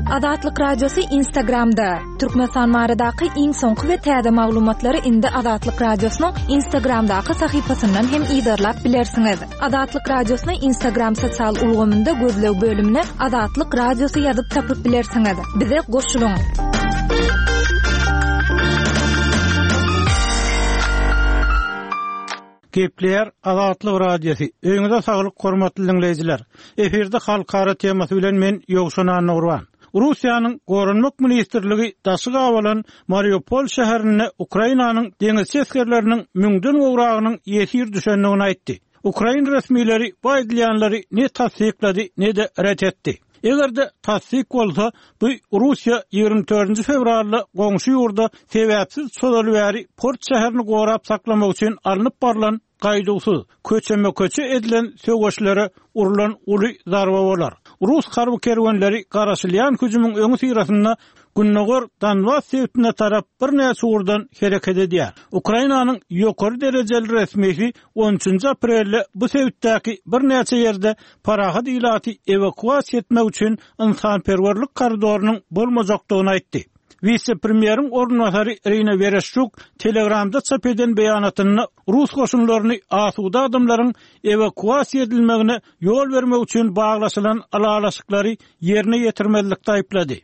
Azatlyk Radiosy Instagramda, Türkmenistan baradaky iň soňky we täze maglumatlary indi Azatlyk Radiosynyň Instagramdaky sahypasyndan hem yzarlap bilersiňiz. Azatlyk Radiosyny Instagram sosial ulgamynda gözleg bölümine Azatlyk Radiosy ýazyp tapyp bilersiňiz. Bize goşulyň! Gepleýär Azatlyk Radiosy. Öýüňize saglyk hormatly diňleýjiler. Efirde halkara temasy bilen men Ýowşan Annagurban. Russiýanyň Goranmak ministrligi daşy gabalan Mariupol şäherinde Ukrainanyň deňizçi esgerleriniň müňden gowragynyň ýesir düşendigini aýtdy. Ukrain resmileri bu aýdylýanlary ne tassyklady, ne-de ret etdi. Eger-de tassyk bolsa, bu Russiýa 24 fewralda goňşy ýurda sebäpsiz çozaly bäri port şäherini gorap saklamak üçin alnyp barlan gaýduwsyz, köçeme-köçe edilen söweşlere urlan uly zarba bolar. Rus harby kerwenleri garaşylýan hüjümiň öňüsyrasynda gündogar Donbas sebitine tarap birnäçe ugurdan hereket edýär. Ukrainanyň ýokary derejeli resmisi on üçünji aprelde bu sebitdäki birnäçe ýerde parahat ilaty ewakuasiýa etmek üçin ynsanperwerlik koridorynyň bolmajakdygyny aýtdy. Wise-premýeriň orunbasary Irina Wereşçuk Telegramda çap eden beýanatynda rus goşunlaryny asuda adamlaryň ewakuasiýa edilmegine ýol bermek üçin baglaşylan ylalaşyklary ýerine ýetirmezlikde aýyplady.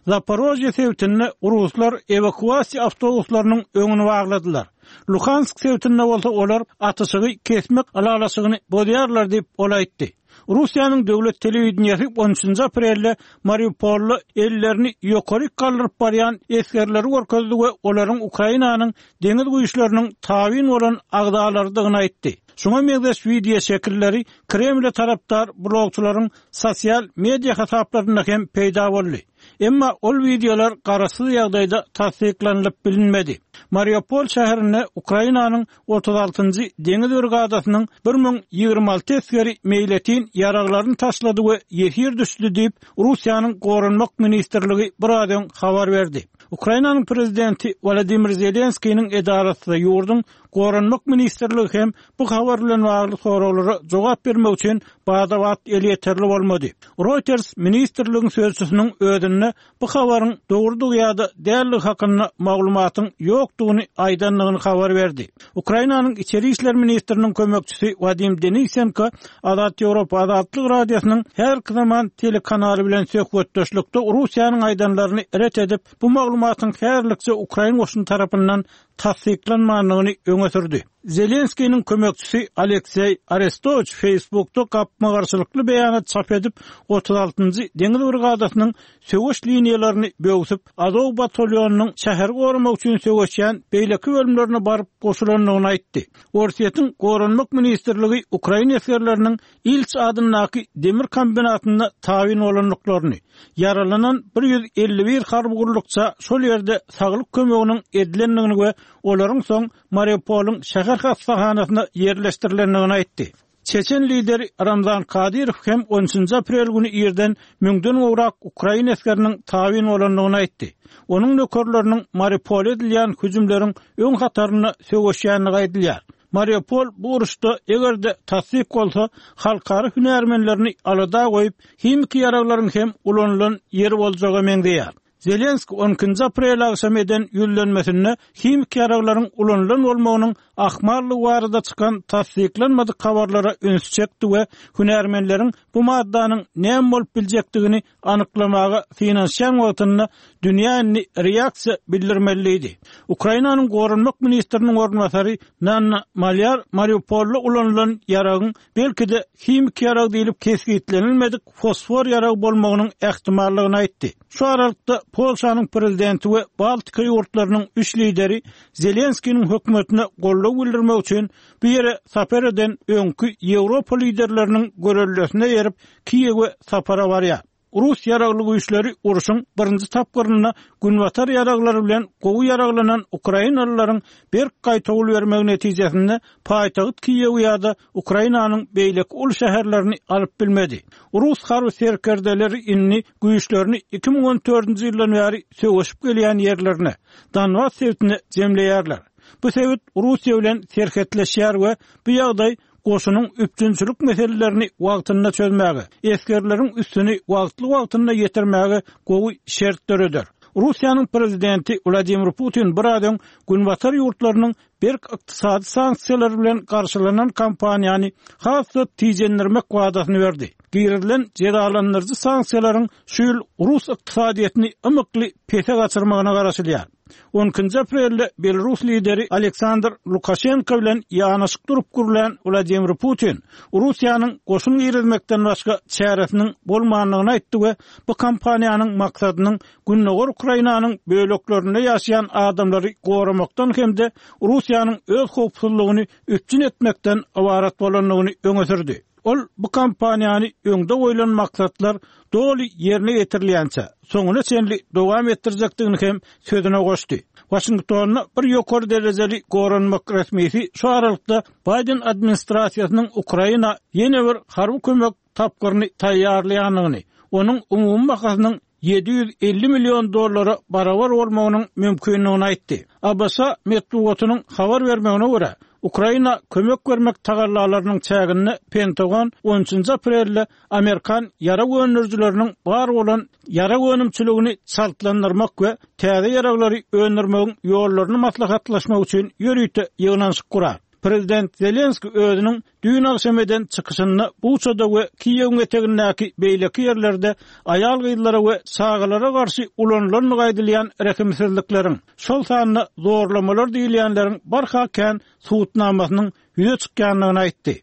Zaporožýe sebitinde ruslar ewakuasiýa awtobuslarynyň öňüni bagladylar. Luhansk sebitinde bolsa olar atyşygy kesmek ylalaşygyny bozýarlar diýip, ol aýtdy. Russiýanyň döwlet telewideniýesi on üçünji aprelde Mariupolda ellerini ýokaryk galdyryp barýan esgerleri görkezdi we olaryň Ukrainanyň Deňiz güýçleriniň tabyn bolan agzalarydygyny aýtdy. Şuňa meňzeş wideoşekilleri Kremle tarapdar blogçylaryň sosial media hasaplarynda hem peýda boldy. Emma ol wideolar garaşsyz ýagdaýda tassyklanylyp bilinmedi. Mariupol şäherinde Ukrainanyň 36-njy deňiz brigadasynyň 1026 esgeri meýletin ýaraglaryny taşlady we ýesir düşdi diýip, Russiýanyň Goranmak ministrligi biraz öň habar berdi. Ukrainanyň prezidenti Wolodymyr Zelenskiniň edarasy ýurduň Goranmak ministrligi hem bu habar bilen bagly soraglara jogap bermek üçin bada-bat elýeterli bolmady. Reuters ministrligiň sözçüsiniň özünde bu habaryň dogrudygy ýa-da däldigi hakynda maglumatyň ýokdugyny aýdandygyny habar berdi. Ukrainanyň içeri işler ministriniň kömekçisi Wadim Denisenko Azat Ýewropa Azatlyk Radiosynyň häzirki zaman telekanaly bilen söhbetdeşlikde Russiýanyň aýdanlaryny ret edip, bu maglumatyň häzirlikçe ukrain goşuny tarapyndan tassyklanmandygyny öňe sürdi. Zelenskiniň kömekçisi Alekseý Arestowiç Facebookda gapma-garşylykly beýanat çap edip, 36-njy deňiz brigadasynyň söweş liniýalaryny böwsüp, Azow batalýonynyň şäheri goramak üçin söweşýän beýleki bölümlerine baryp goşulandygyny aýtdy. Orsýetiň Goranmak ministrligi ukrain esgerleriniň Ilç adyndaky demir kombinatynda tabyn bolandyklaryny, ýaralanan 151 harby gullukça şol ýerde saglyk kömeginiň edilendigini we olaryň soň Mariupolyň şäher hassahanasyna ýerleşdirilendigini aýtdy. Çeçen lideri Ramzan Kadyrow hem on üçünji aprel güni irden müňden gowrak ukrain esgeriniň tabyn bolandygyny aýtdy. Onuň nökerleriniň Mariupola edilýän hüjümleriň öň hatarynda söweşýändigi aýdylýar. Mariupol bu uruşda, eger-de tassyk bolsa, halkara hünärmenlerini alada goýup, himiki ýaraglaryň hem ulanylan ýeri boljaga meňzeýär. Zelenski on ikinji aprel agşamy eden ýüzlenmesinde himiki ýaraglaryň ulanylan bolmagynyň ahmallygy barada çykan tassyklanmadyk habarlara ünsi çekdi we hünärmenleriň bu maddanyň näme bolup biljekdigini anyklamaga synanyşýan wagtynda dünýä indi reaksiýa bildirmeli diýdi. Ukrainanyň goranmak ministriniň orunbasary Nanna Malýar Mariupolda ulanylan ýaragyň belki-de himiki ýarag diýlip kesgitlenilmedik fosfor ýaragy bolmagynyň ähtimallygyny aýtdy. Şu aralykda Polşanyň prezidenti we Baltika ýurtlarynyň üç lideri Zelenskiniň hökümetine goldaw bildirmek üçin bu ýere sapar eden öňki Ýewropa liderleriniň göreldesine eýerip, Kiýewe sapara barýar. Rus ýaragly güýçleri urşuň birinji tapgyrynda günbatar ýaraglary bilen gowy ýaraglanan ukrainalylaryň berk gaýtawul bermegi netijesinde paýtagt Kiýewi ýa-da Ukrainanyň beýleki uly şäherlerini alyp bilmedi. Rus harby serkerdeleri indi güýçlerini 2014-nji ýyldan bäri söweşip gelýän ýerlerine, Donbas sebitine jemleýärler. Bu sebit Russiýa bilen serhetleşýär we bu ýagdaý. goşunyň üpjünçilik meselelerini wagtynda çözmäge, esgerleriň üstüni wagtly-wagtynda ýetirmäge gowy şert döreder. Russiýanyň prezidenti Wladimir Putin biraz öň Günbatar ýurtlarynyň berk ykdysady sanksiýalar bilen garşylanan kampaniýany has-da tijendirmek wadasyny berdi. Girizilen jezalandyryjy sanksiýalaryň şu ýyl rus ykdysadyýetini ymykly pese gaçyrmagyna garaşylýar. On ikinji aprelde belarus lideri Aleksandr Lukaşenko bilen ýanaşyk durup gürlän Wladimir Putin Russiýanyň goşun girizmekden başga çäresiniň bolmandygyny aýtdy we bu kampaniýanyň maksadynyň Gündogar Ukrainanyň böleklerinde ýaşaýan adamlary goramakdan hem-de Russiýanyň öz howpsuzlygyny üpjün etmekden ybarat bolandygyny öňe sürdi. Ol bu kampaniýany öňde goýlan maksatlar doly ýerine ýetirilýänçä, soňuna çenli dowam etdirjekdigini hem sözüne goşdy. Waşingtonda bir ýokary derejeli goranmak resmisi şu aralykda Baýden administrasiýasynyň Ukraina ýene bir harby kömek tapgyryny taýýarlaýandygyny, onuň umumy bahasynyň 750 million dollara barabar bolmagynyň mümkindigini aýtdy. ABŞ metbugatynyň habar bermegine görä, Ukraina kömek bermek tagallalarynyň çäginde Pentagon on üçünji aprelde amerikan ýarag öndürijileriniň bar bolan ýarag önümçiligini çaltlandyrmak we täze ýaraglary öndürmegiň ýollaryny maslahatlaşmak üçin ýörite ýygnanyşyk gurar. Prezident Zelenskiý özüniň düýn agşam eden çykyşynda Buçada we Kiýewiň etegindäki beýleki ýerlerde aýal-gyzlara we çagalara garşy ulanylandygy aýdylýan rehimsizlikleriň, şol sanda zorlamalar diýilýänleriň barha kän subutnamasynyň ýüze çykýandygyny aýtdy.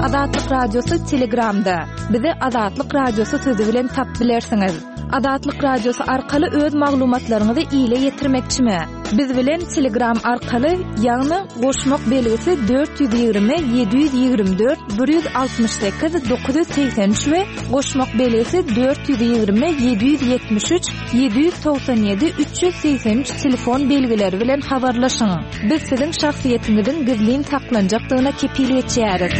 Azatlyk Radiosy Telegramda. Bizi Azatlyk Radiosy sözi bilen tapyp bilersiňiz. Azatlyk Radiosy arkaly öz maglumatlaryňyzy ile ýetirmekçimi? Biz bilen Telegram arkaly, ýagny goşmak belgisi 420 724 168 983 we goşmak belgisi 420 773 797 383 telefon belgileri bilen habarlaşyň. Biz siziň şahsyýetiňiziň gizlin saklanjakdygyna kepil geçýäris.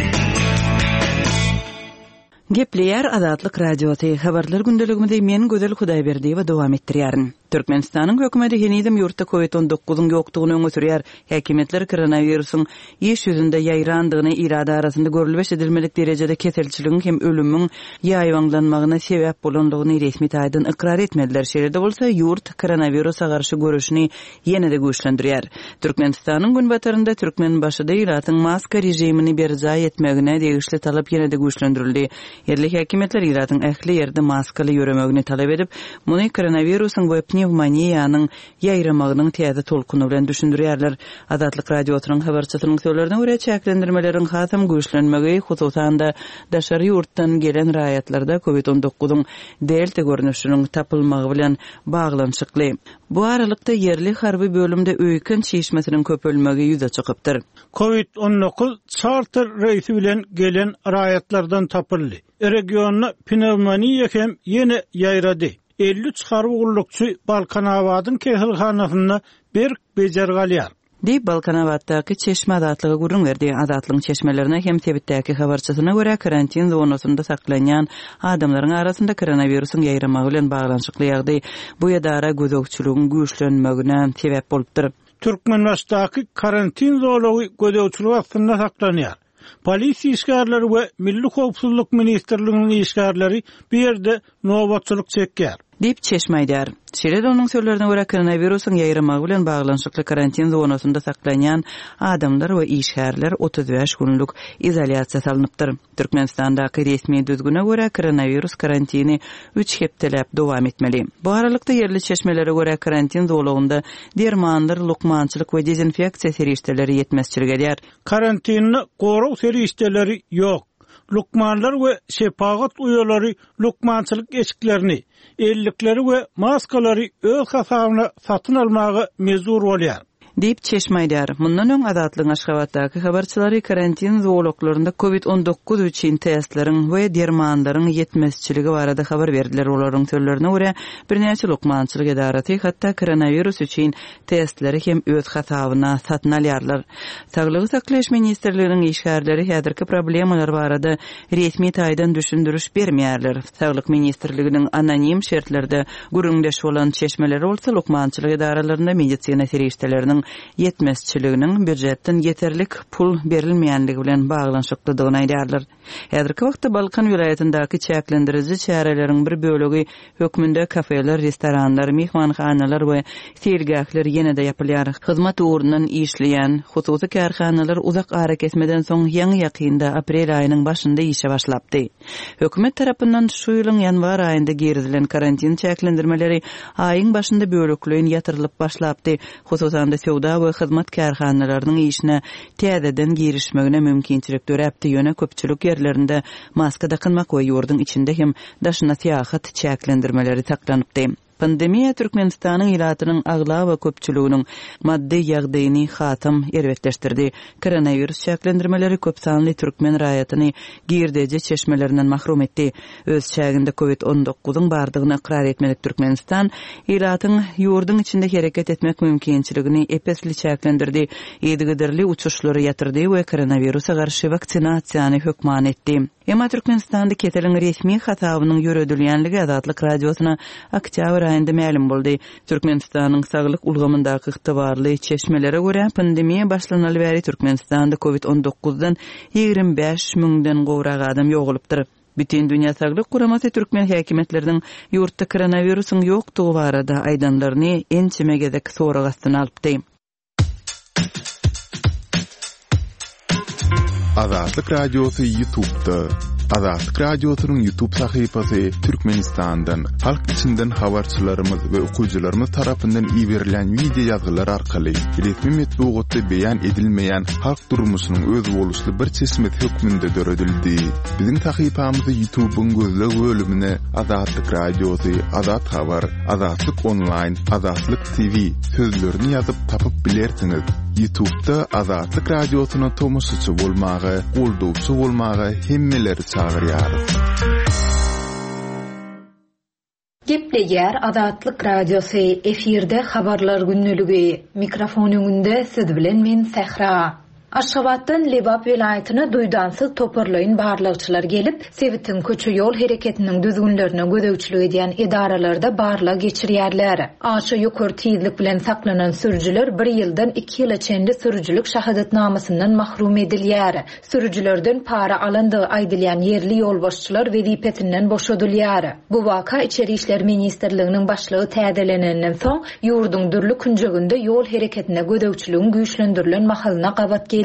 Gepleýär Azatlyk Radiosy, Habarlar gündeligimizi men Gözel Hudaýberdiýewa dowam etdirýärin. Türkmenistanyň hökümeti henizem ýurtda Covid on dokuzyň ýokdugyny öňe sürýär. Häkimiýetler koronawirusyň iş ýüzünde ýaýrandygyny, ilat arasynda görlüp-eşidilmedik derejede keselçiligiň hem ölümiň ýaýbaňlanmagyna sebäp bolandygyny resmi taýdan ykrar etmediler. Şeýle-de bolsa, ýurt koronawirusa garşy göreşini ýene-de güýçlendirýär. Türkmenistanyň günbatarynda Türkmenbaşyda ilatyň maska režimini berjaý etmegine degişli talap ýene-de güýçlendirildi. Ýerli häkimiýetler ilatyň ähli ýerde maskaly ýöremegini talap edip, muny koronawirusyň we pnewmoniýanyň ýaýramagynyň täze tolkuny bilen düşündirýärler. Azatlyk Radiosynyň habarçysynyň sözlerine görä, çäklendirmeleriň hasam güýçlenmegi, hususan-da, daşary ýurtdan gelen raýatlarda covid on dokuzyň delta görnüşiniň tapylmagy bilen baglanyşykly. Bu aralykda, ýerli harby bölümde öýken çişmesiniň köpelmegi ýüze çykypdyr. Covid 19 çarter reýsi bilen gelen raýatlardan tapyldy. Regionda pnewmoniýa hem ýene ýaýrady. 53 harby gullukçy Balkanabadyň keselhanasynda berk bejergi alýar. Diýip, Balkanabatdaky çeşme Azatlyga gürrüň berdi. Azatlygyň çeşmelerine hem sebitdäki habarçysyna görä, karantin zonasynda saklanýan adamlaryň arasynda koronawirusyň ýaýramagy bilen baglanyşykly ýagdaý bu edara gözegçiligiň güýçlenmegine sebäp bolupdyr. Türkmenbaşydaky karantin zolagy gözegçilik astynda saklanýar. Polisiýa işgärleri we Milli howpsuzlyk ministrliginiň işgärleri bu ýerde nobatçylyk çekýär. Diýip, çeşme aýdýar. Şeýle-de onuň sözlerine görä, koronawirusyň ýaýramagy bilen baglanyşykly karantin zonasynda saklanýan adamlar we işgärler 35 günlük izolýasiýa salnypdyr. Türkmenistandaky resmi düzgüne görä, koronawirus karantini üç hepdeläp dowam etmeli. Bu aralykda, ýerli çeşmelere görä, karantin zolagynda dermanlar, lukmançylyk we dezinfeksiýa serişdeleri ýetmezçilik edýär. Karantinde gorag serişdeleri ýok. Lukmanlar we şepagat uýalary lukmançylyk eşiklerini, ellikleri we maskalary öz hasabyna satyn almaga mejbur bolýar. Diýip, çeşme aýdýar. Mundan öň Azatlygyň Aşgabatdaky habarçylary karantin zolaklarynda covid 19 üçin testleriň we dermanlaryň ýetmezçiligi barada habar berdiler. Olaryň sözlerine görä, birnäçe lukmançylyk edarasy hatda koronawirus üçin testleri hem öz hasabyna satyn alýarlar. Saglygy saklaýyş ministrliginiň işgärleri häzirki problemalar barada resmi taýdan düşündiriş bermeýärler. Saglyk ministrliginiň anonim şertlerde gürrüňdeş bolan çeşmeleri bolsa lukmançylyk edaralarynda medisina serişdeleriniň. ýetmezçiliginiň býujetden ýeterlik pul berilmeýänligi bilen baglanyşyklydygyny aýdýarlar. Häzirki wagtda Balkan welaýatyndaky çäklendiriji çäreleriň bir bölegi hökmünde kafeler, restoranlar, myhmanhanalar we seýilgähler ýene-de ýapylýar. Hyzmat ugrundan işleýän hususy kärhanalar uzak arakesmeden soň ýaňy-ýakynda, aprel aýynyň başynda işe başlapdy. Hökümet tarapyndan şu ýylyň ýanwar aýynda girizilen karantin çäklendirmeleri aýyň başynda bölekleýin ýatyrylyp başlapdy, hususan-da söwda we hyzmat kärhanalarynyň işine täzeden girişmegine mümkinçilik döräpdi, ýöne köpçülik ýerlerinde maska dakynmak we ýurduň içinde hem daşynda syýahat çäklendirmeleri saklanypdy. Pandemiýa Türkmenistanyň ilatynyň aglaba köpçüliginiň maddy ýagdaýyny hasam erbetleşdirdi. Koronawirus çäklendirmeleri köp sanly türkmen raýatyny girdeji çeşmelerinden mahrum etdi. Öz çäginde Covid on dokuzyň bardygyny ykrar etmedik Türkmenistan ilatyň ýurduň içinde hereket etmek mümkinçiligini ep-esli çäklendirdi, yzygiderli uçuşlary ýatyrdy we koronawirusa garşy waksinasiýany hökman etdi. Emma Türkmenistanda keseliň resmi hasabynyň ýöredilýänligi Azatlyk Radiosyna oktýabr aýynda mälim boldy. Türkmenistanyň saglyk ulgamyndaky ygtybarly çeşmelere görä, pandemiýa başlanaly bäri Türkmenistanda covid on dokuzdan 25 müňden gowrak adam ýogalypdyr. Bütindünýä saglyk guramasy türkmen häkimiýetleriniň ýurtda koronawirusyň ýokdugy barada aýdanlaryny ençeme gezek sorag astyna alypdy. Azatlyk Radiosy YouTube'da. Azatlyk Radiosynyň YouTube sahypasy Türkmenistandan, halk içinden habarçylarymyz we okyjylarymyz tarapyndan iberilen wideo ýazgylar arkaly resmi metbugatda beýan edilmeýän halk durmuşynyň özboluşly bir çeşmesi hökmünde döredildi. Biziň sahypamyzy YouTube'yň gözleg bölümine Azatlyk Radiosy, Azat Habar, Azatlyk Onlaýn, Azatlyk TV sözlerini ýazyp tapyp bilersiňiz. Ýutubda Azatlyk Radiosyna tomaşaçy bolmaga, goldawçy bolmaga hemmeleri çagyrýarys. Gepleýär Azatlyk Radiosy, efirde Habarlar gündeligi. Mikrofon öňünde siz bilen men Sähra. Aşgabatdan Lebap welaýatyna duýdansyz toparlaýyn barlagçylar gelip, sebitiň köçe-ýol hereketiniň düzgünlerine gözegçilik edýän edaralarda barlag geçirýärler. Aşa ýokary tizlik bilen saklanan sürüjiler bir ýyldan iki ýyla çenli sürüjilik şahadatnamasyndan mahrum edilýär. Sürüjilerden para alandygy aýdylýan ýerli ýolbaşçylar wezipesinden boşadylýar. Bu waka Içeri işler ministrliginiň başlygy täzelenenden soň, ýurduň dürli künjeginde ýol hereketine gözegçiligiň güýçlendirilen mahalyna gabat geldi.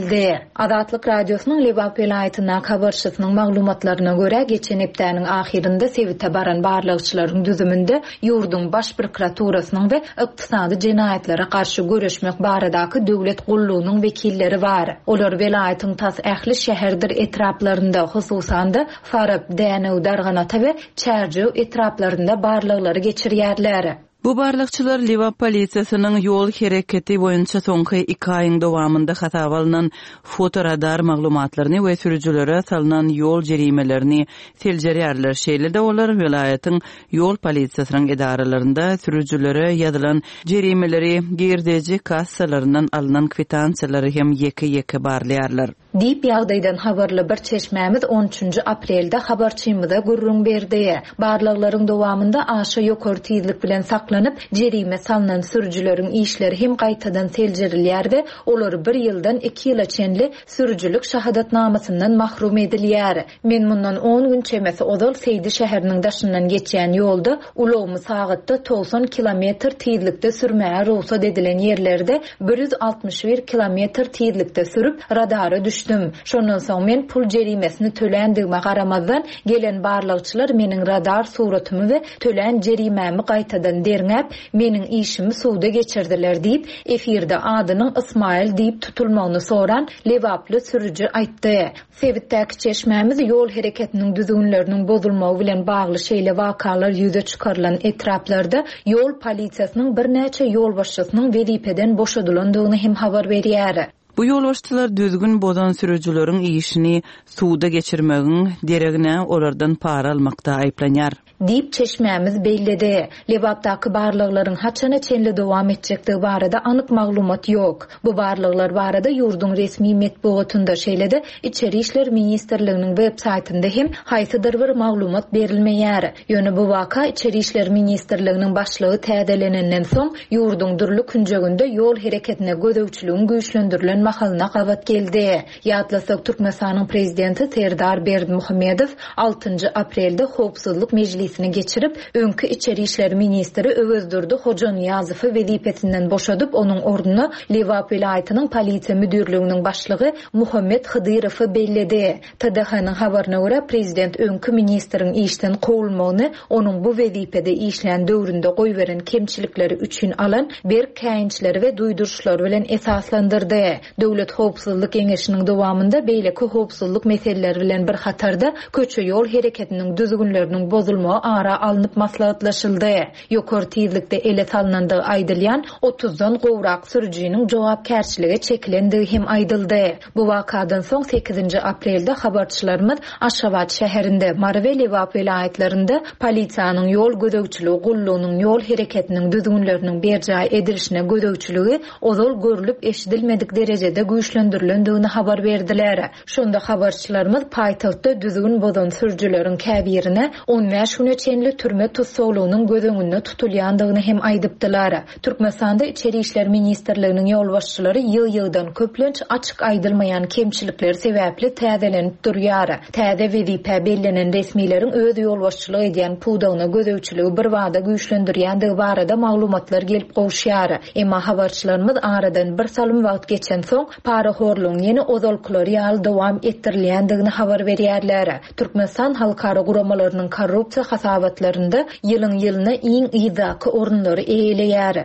Azatlyk Radiosynyň Lebap welaýatyndaky habarçysynyň maglumatlaryna görä, geçen hepdäniň ahyrynda sebite baran barlagçylaryň düzüminde ýurduň Baş prokuraturasynyň we Ykdysady jenaýatlara garşy göreşmek baradaky döwlet gullugynyň wekilleri bar. Olar welaýatyň tas ähli şäherdir etraplarynda, hususan-da, Farap, Dänew, Darganata we Çärjew etraplarynda barlaglary geçirýärler. Bu barlagçylar Lebap polisiýasynyň ýol hereketi boýunça soňky iki aýyň dowamynda hasaba alnan fotoradar maglumatlaryny we sürüjilere salnan ýol jerimelerini seljerýärler. Şeýle-de olar welaýatyň Ýol polisiýasynyň edaralarynda sürüjilere ýazylan jerimeleri, girdeji kassalaryndan alnan kwitansiýalary hem ýeke-ýeke barlaýarlar. Diýip, ýagdaýdan habarly bir çeşmämiz on üçünji aprelde habarçymyza gürrüň berdi. Barlaglaryň dowamynda aşa ýokary tizlik bilen saklanyp, jerime salnan sürüjileriň işleri hem gaýtadan seljerilýär we olar bir ýyldan iki ýyla çenli sürüjilik şahadatnamasyndan mahrum edilýär. Men mundan on gün çemesi ozal Seýdi şäheriniň daşyndan geçýän ýolda ulagymy sagatda 90 kilometr tizlikde sürmäge rugsat edilen ýerlerde 161 kilometr tizlikde sürüp, radara düşdüm. Şondan soň men pul jerimesini töländigime garamazdan, gelen barlagçylar meniň radar suratymy we tölän jerimämi gaýtadan derňäp, meniň işimi suda geçirdiler diýip, efirde adynyň Ysmaýyl diýip tutulmagyny soran lebaply sürüji aýtdy. Sebitdäki çeşmämiz ýol hereketiniň düzgünleriniň bozulmagy bilen bagly şeýle wakalar ýüze çykarylan etraplarda ýol polisiýasynyň birnäçe ýolbaşçysynyň wezipeden boşadylandygyny hem habar berýär. Bu ýolbaşçylar düzgün bozan sürüjileriň işini suda geçirmegiň deregine olardan para almakda aýyplanýar. Diýip, çeşmämiz belledi. Lebapdaky barlaglaryň haçana çenli dowam etjekdigi barada anyk maglumat ýok. Bu barlaglar barada ýurduň resmi metbugatynda, şeýle-de Içeri işler ministrliginiň web saýtynda hem haýsydyr bir maglumat berilmeýär. Ýöne bu waka Içeri işler ministrliginiň başlygy täzelenenden soň, ýurduň dürli künjeginde ýol hereketine gözegçiligiň güýçlendirilen mahalyna gabat geldi. Ýatlasak, Türkmenistanyň Prezidenti Serdar Berdimuhamedow altynjy aprelde Howpsuzlyk mejlisini geçirip, öňki içeri işler ministri Öwezdurdy Hojanyýazowy wezipesinden boşadyp, onuň ornuna Lebap welaýatynyň Polisiýa müdirliginiň başlygy Muhammet Hydyrowy belledi. TDH-nyň habaryna görä, prezident öňki ministriň işden kowulmagyny onuň bu wezipede işlän döwründe goýberen kemçilikleri üçin alan berk käýinçleri we duýduryşlary bilen esaslandyrdy. Döwlet howpsuzlyk geňeşiniň dowamynda beýleki howpsuzlyk meseleleri bilen bir hatarda, köçe-ýol hereketiniň düzgünleriniň bozulmagy ara alnyp maslahatlaşyldy. Ýokary tizlikde ele salnandygy aýdylýan otuzdan gowrak sürüjiniň jogapkärçilige çekilendigi hem aýdyldy. Bu wakadan soň sekizinji aprelde habarçylarymyz Aşgabat şäherinde, Mary we Lebap welaýatlarynda polisiýanyň ýol gözegçiligi gullugynyň ýol hereketiniň düzgünleriniň berjaý edilişine gözegçiligi ozal görlüp-eşidilmedik derejede güýçlendirilendigini habar berdiler. Şonda habarçylarymyz paýtagtda düzgün bozan sürüjileriň käbirine on bäş güne çenli türme tussaglygynyň göz öňünde tutulýandygyny hem aýdypdylar. Türkmenistanda Içeri işler ministrliginiň ýolbaşçylary ýygy-ýygydan köplenç açyk aýdylmaýan kemçilikleri sebäpli täzelenip durýar. Täze wezipä bellenen resmileriň öz ýolbaşçylyk edýän pudagyna gözegçiligi birbada güýçlendirýändigi barada maglumatlar gelip gowuşýar. Emma habarçylarymyz aradan birsalym wagt geçensoň, parahorlugyň ýene ozalkylary ýaly dowam etdirilýändigini habar berýärler. Türkmenistan halkara guramalarynyň korrupsiýa hasabatlarynda ýylyň-ýylyna iň yzdaky orunlary eýeleýär.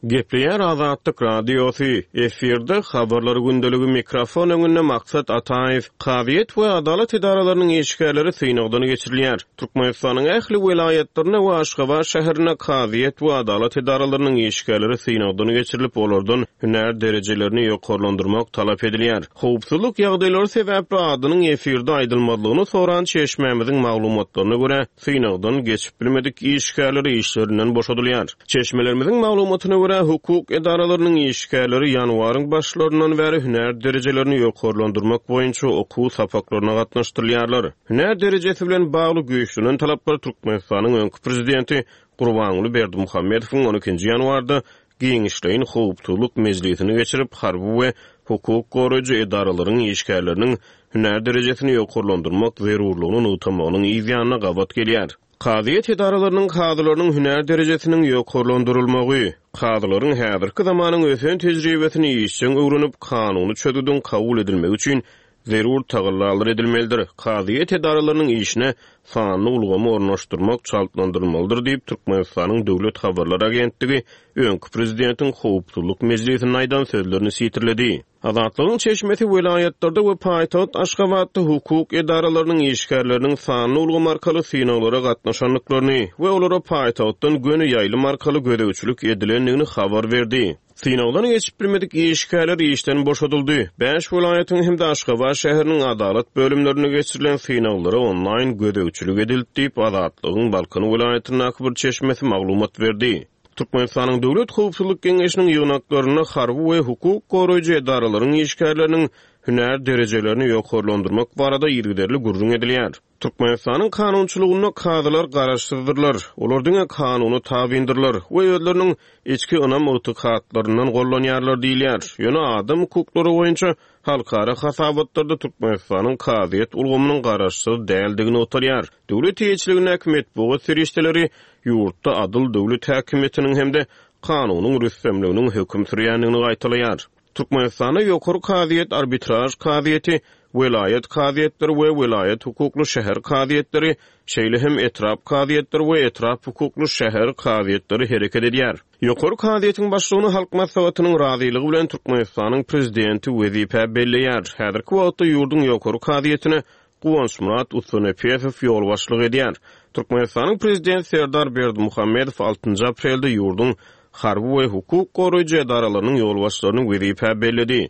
Gepleýär Azatlyk Radiosy, efirde Habarlar gündeligi mikrofon öňünde Maksat Ataýew. Kazyýet we adalat edaralarynyň işgärleri synagdan geçirilýär. Türkmenistanyň ähli welaýatlarynda we Aşgabat şäherinde kazyýet we adalat edaralarynyň işgärleri synagdan geçirilip, olardan hünär derejelerini ýokarlandyrmak talap edilýär. Howpsuzlyk ýagdaýlary sebäpli adynyň efirde aýdylmazlygyny soran çeşmämiziň maglumatlaryna görä, synagdan geçip bilmedik işgärler işlerinden boşadylýar. Çeşmelerimiziň maglumatyna görä, hukuk edaralarynyň işgärleri ýanwaryň başlaryndan bäri hünär derejelerini ýokarlandyrmak boýunça okuw sapaklaryna gatnaşdyrylýarlar. Hünär derejesi bilen bagly güýçlenen talaplar Türkmenistanyň öňki prezidenti Gurbanguly Berdimuhamedowyň on ikinji ýanwarda giňişleýin howpsuzlyk mejlisini geçirip, harby we hukuk goraýjy edaralaryň işgärleriniň hünär derejesini ýokarlandyrmak zerurlygyny nygtamagynyň yz ýanyna gabat gelýär. Kazyýet edaralarynyň kazylarynyň hünär derejesiniň ýokarlandyrylmagy, kazylaryň häzirki zamanyň ösen tejribesini işjeň öwrenip, kanuny çözgüdiň kabul edilmegi üçin zerur tagallalar edilmelidir, kazyýet edaralarynyň işine sanly ulgamy ornaşdyrmak çaltlandyrylmalydyr diýip, Türkmenistanyň Döwlet habarlar agentligi öňki prezidentiň howpsuzlyk mejlisinde aýdan sözlerini sitirledi. Azatlygyň çeşmesi welaýatlarda we paýtagt Aşgabatda hukuk edaralarynyň işgärleriniň sanly ulgam arkaly synaglara gatnaşandyklaryny we olara paýtagtdan göni ýaýlym arkaly gözegçilik edilendigini habar berdi. Synagdan geçip bilmedik işgärler işden boşadyldy. Bäş welaýatyň hem-de Aşgabat şäheriniň adalat bölümlerinde geçirilen synaglara onlaýn gözegçilik edildi diýip, Azatlygyň Balkan welaýatyndaky bir çeşmesi maglumat berdi. Türkmenistanyň Döwlet howpsuzlyk geňeşiniň ýygnaklarynda harby we hukuk goraýjy edaralaryň işgärleriniň hünär derejelerini ýokarlandyrmak barada yzygiderli gürrüň edilýär. Türkmenistanyň kanunçylygynda kazylar garaşsyzdyrlar, olar diňe kanuna tabyndyrlar we özleriniň içki ynam-ygtykatlaryndan gollanýarlar diýilýär. Ýöne adam hukuklary boýunça halkara hasabatlarda Türkmenistanyň kazyýet ulgamynyň garaşsyz däldigi nygtalýar. Döwlet eýeçiligindäki metbugat serişdeleri ýurtda adyl döwlet häkimiýetiniň hem-de kanunyň rüstemliginiň höküm sürýändigini gaýtalaýar. Türkmenistanda Ýokary kazyýet, arbitraž kazyýeti, welaýat kazyýetleri we welaýat hukukly şäher kazyýetleri, şeýle hem etrap kazyýetleri we etrap hukukly şäher kazyýetleri hereket edýär. Ýokary kazyýetiň başlygyny Halk Maslahatynyň razylygy bilen Türkmenistanyň Prezidenti wezipä belleýär. Häzirki wagtda ýurduň Ýokary kazyýetine Guwançmyrat Ussanepesow ýolbaşçylyk edýär. Türkmenistanyň Prezidenti Serdar Berdimuhamedow altynjy aprelde ýurduň. harby we hukuk goraýjy edaralarynyň ýolbaşçylaryny wezipä belledi.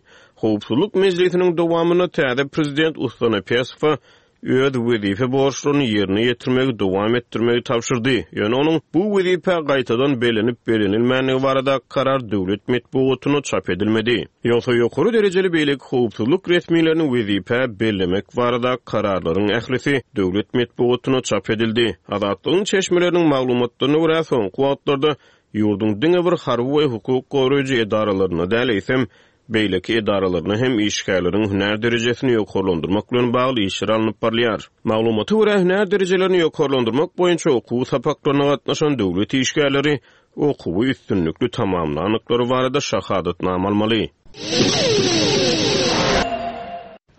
Howpsuzlyk mejlisiniň dowamynda täze prezident Ustonepesowa öz wezipe borçlaryny ýerine ýetirmegi dowam etdirmegi tabşyrdy, ýöne onuň bu wezipä gaýtadan bellenip-bellenilmändigi baradaky karar döwlet metbugatynda çap edilmedi. Ýogsa ýokary derejeli beýleki howpsuzlyk resmilerini wezipä bellemek baradaky kararlaryň ählisi döwlet metbugatynda çap edildi. Azatlygyň çeşmeleriniň maglumatlaryna görä, soňky wagtlarda ýurduň diňe bir harby we hukuk goraýjy edaralarynda däl, eýsem, beýleki edaralaryna hem işgärleriň hünär derejesini ýokarlandyrmak bilen bagly işler alnyp barylýar. Maglumata görä, hünär derejelerini ýokarlandyrmak boýunça okuw sapaklaryna gatnaşan döwlet işgärleri okuwy üstünlikli tamamlandyklary barada şahadatnama almaly.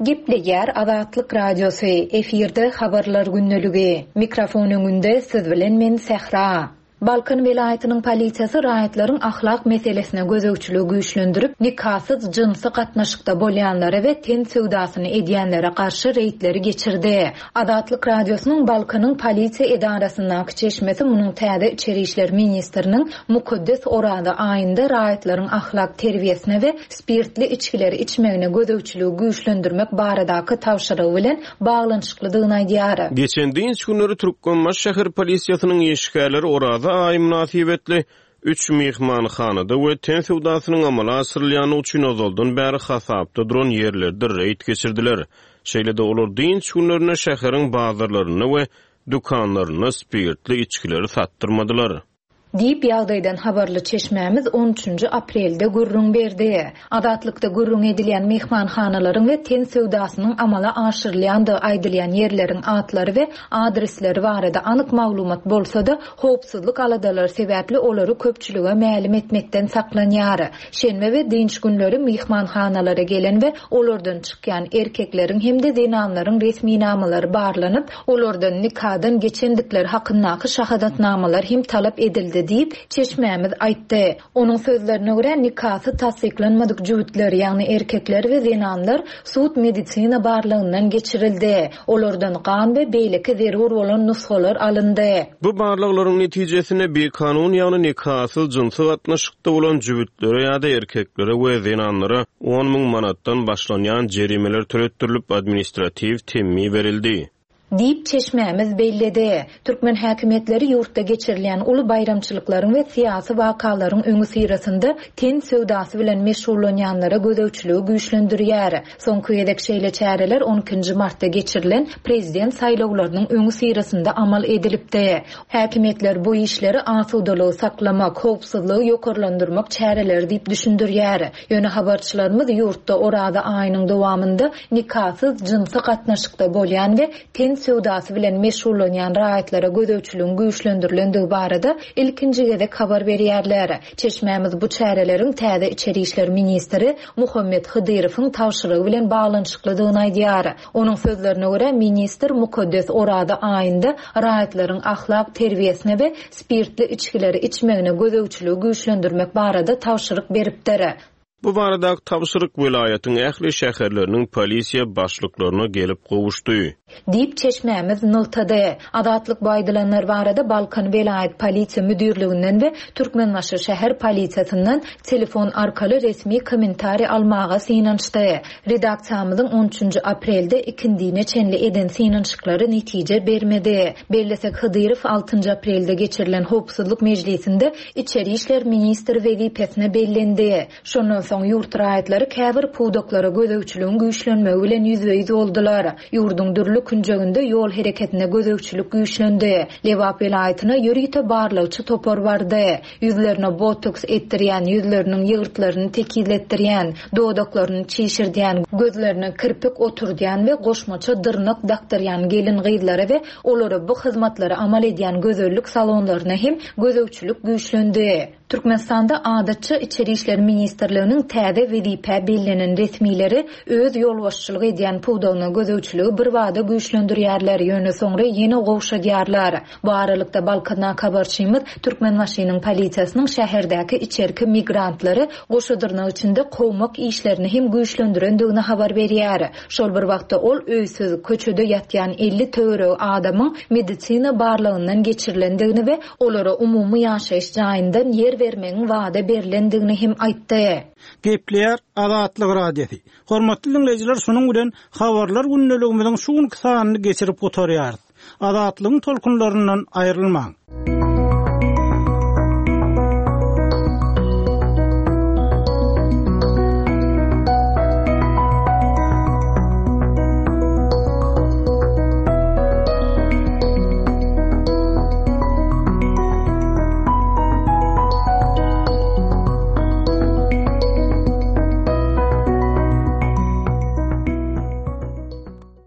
Gepleýär Azatlyk Radiosy, efirde Habarlar gündeligi. Mikrofon öňünde siz bilen men Sähra. Balkan welaýatynyň polisiýasy raýatlaryň ahlak meselesine gözegçiligi güýçlendirip, nikasyz jynsy gatnaşykda bolýanlara we ten söwdasyny edýänlere garşy reýdleri geçirdi. Azatlyk Radiosynyň Balkanyň polisiýa edarasyndaky çeşmesi munuň täze içeri işler ministriniň mukaddes Oraza aýynda raýatlaryň ahlak terbiýesine we spirtli içgileri içmegine gözegçiligi güýçlendirmek baradaky tabşyrygy bilen baglanyşyklydygyny aýdýar. Geçen dynç günleri Türkmenbaşy şäher polisiýasynyň işgärleri Oraza aýy mynasybetli üç myhmanhanada we ten söwdasynyň amala aşyrylýandygy üçin ozaldan bäri hasapda duran ýerlerde reýd geçirdiler. Şeýle-de olar dynç günlerinde şäheriň bazarlarynda we dükanlarynda spirtli içgileri satdyrmadylar. Diýip, ýagdaýdan habarly çeşmämiz on üçünji aprelde gürrüň berdi. Azatlykda gürrüňi edilýän myhmanhanalaryň we ten söwdasynyň amala aşyrylýandygy aýdylýan ýerleriň atlary we adresleri barada anyk maglumat bolsa-da, howpsuzlyk aladalary sebäpli olary köpçülige mälim etmekden saklanýar. Şenbe we dynç günleri myhmanhanalara gelen we olardan çykýan erkekleriň hem-de zenanlaryň resminamalary barlanyp, Olardan nikadan geçendikleri hakyndaky şahadatnamalar hem talap edildi diýip, çeşmämiz aýtdy. Onuň sözlerine görä, nikasy tassyklanmadyk jübütler, ýagny erkekler we zenanlar sud-medisina barlagyndan geçirildi. Olardan gan we beýleki zerur bolan nusgalar alyndy. Bu barlaglaryň netijesinde bikanun, ýagny nikasyz jynsy gatnaşykda bolan jübütlere ýa-da erkeklere we zenanlara 10 müň manatdan başlanýan jerimeler töletdirilip, administratiw temmi berildi. Diýip, çeşmämiz belledi. Türkmen häkimiýetleri ýurtda geçirilýän uly baýramçylyklaryň we syýasy wakalaryň öňüsyrasynda ten söwdasy bilen meşgullanýanlara gözegçiligi güýçlendirýär. Soňky gezek şeýle çäreler on ikinji martda geçirilen prezident saýlawlarynyň öňüsyrasynda amal edilipdi. Häkimiýetler bu işleri asudalygy saklamak, howpsuzlygy ýokarlandyrmak çäreleri diýip düşündirýär. Ýöne habarçylarymyz ýurtda Oraza aýynyň dowamynda nikasyz jynsy gatnaşykda bolýan we ten söwdasy bilen meşgullanýan raýatlara gözegçiligiň güýçlendirilendigi barada ilkinji gezek habar berýärler. Çeşmämiz bu çäreleriň täze içeri işler ministri Muhammet Hydyrowyň tabşyrygy bilen baglanyşyklydygyny aýdýar. Onuň sözlerine görä, ministr mukaddes Oraza aýynda raýatlaryň ahlak terbiýesine we spirtli içgileri içmegine gözegçiligi güýçlendirmek barada tabşyryk beripdir. Bu baradaky tabşyryk welaýatyň ähli şäherleriniň polisiýa başlyklaryna gelip gowuşdy. Diýip, çeşmämiz nygtady. Azatlyk bu aýdylanlar barada Balkan welaýat polisiýa müdirliginden we Türkmenbaşy şäher polisiýasyndan telefon arkaly resmi kommentariý almaga synanyşdy. Redaksiýamyzyň on üçünji aprelde ikindine çenli eden synanyşyklary netije bermedi. Bellesek, Hydyrow altynjy aprelde geçirilen howpsuzlyk mejlisinde içeri işler ministri wezipesine bellendi. Şondan soň ýurt raýatlary käbir pudaklara gözegçiligiň güýçlenmegi bilen ýüzbe-ýüz boldular. Ýurduň dürli künjeginde ýol hereketine gözegçilik güýçlendi. Lebap welaýatyna ýörite barlagçy topar bardy. Ýüzlerine botoks etdirýän, ýüzleriniň ýygyrtlaryny tekizletdirýän, dodaklaryny çişirdýän, gözlerine kirpik oturdýan we goşmaça dyrnak dakdyrýan gelin-gyzlara we olara bu hyzmatlary amal edýän gözellik salonlaryna hem gözegçilik güýçlendi. Türkmenistanda adatça Içeri işler ministrliginiň täze wezipä bellenen resmileri öz ýolbaşçylyk edýän pudagyna gözegçiligi birbada güýçlendirýärler, ýöne soňra ýene gowşadýarlar. Bu aralykda, Balkandaky habarçymyz Türkmenbaşynyň polisiýasynyň şäherdäki içerki migrantlary goşa dyrnak içinde kowmak işlerini hem güýçlendirendigini habar berýär. Şol bir wagtda, ol öýsüz, köçede ýatýan 50 töweregi adamyň medisina barlagyndan geçirilendigini we olara umumy ýaşaýyş jaýyndan ýer. ýer bermegiň wada berlendigini hem aýtdy. Gepleýär Azatlyk Radiosy. Hormatly diňleýjiler şunuň bilen Habarlar gündeligimiziň şu günki sanyny geçirip gutarýarys. Azatlygyň tolkunlaryndan aýrylmaň.